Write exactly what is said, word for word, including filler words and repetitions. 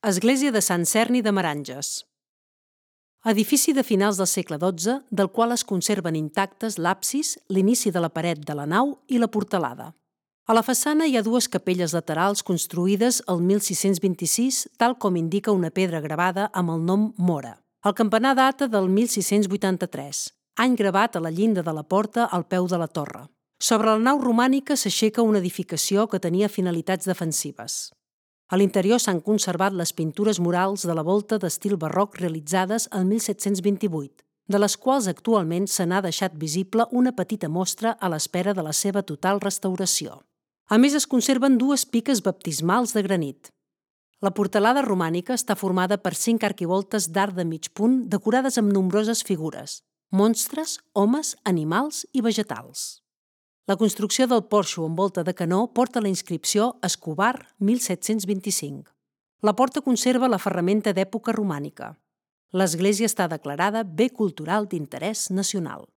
Església de Sant Cerni de Meranges. Edifici de finals del segle dotze, del qual es conserven intactes l'absis, l'inici de la paret de la nau i la portalada. A la façana hi ha dues capelles laterals construïdes el mil sis-cents vint-i-sis, tal com indica una pedra gravada amb el nom Mora. El campanar data del mil sis-cents vuitanta-tres, any gravat a la llinda de la porta al peu de la torre. Sobre la nau romànica s'aixeca una edificació que tenia finalitats defensives. A l'interior s'han conservat les pintures murals de la volta d'estil barroc realitzades el mil set-cents vint-i-vuit, de les quals actualment se n'ha deixat visible una petita mostra a l'espera de la seva total restauració. A més, es conserven dues piques baptismals de granit. La portalada romànica està formada per cinc arquivoltes d'arc de mig punt decorades amb nombroses figures, monstres, homes, animals i vegetals. La construcció del porxo amb volta de canó porta la inscripció Escobar mil set-cents vint-i-cinc. La porta conserva la ferramenta d'època romànica. L'església està declarada Bé Cultural d'Interès Nacional.